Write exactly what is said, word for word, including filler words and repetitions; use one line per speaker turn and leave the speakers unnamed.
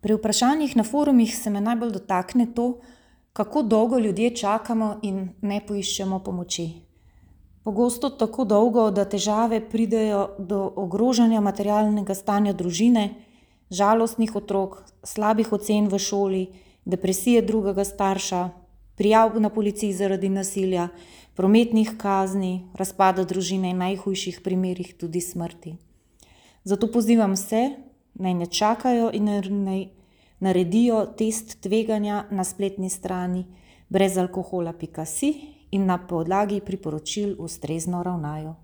Pri vprašanjih na forumih se me najbolj dotakne to, kako dolgo ljudje čakamo in ne poiščemo pomoči. Pogosto tako dolgo, da težave pridejo do ogrožanja materialnega stanja družine, žalostnih otrok, slabih ocen v šoli, depresije drugega starša, prijav na policiji zaradi nasilja, prometnih kazni, razpada družine in najhujših primerih tudi smrti. Zato pozivam vse, naj ne čakajo in naj naredijo test tveganja na spletni strani brezalkohola pika si in na podlagi priporočil ustrezno ravnajo.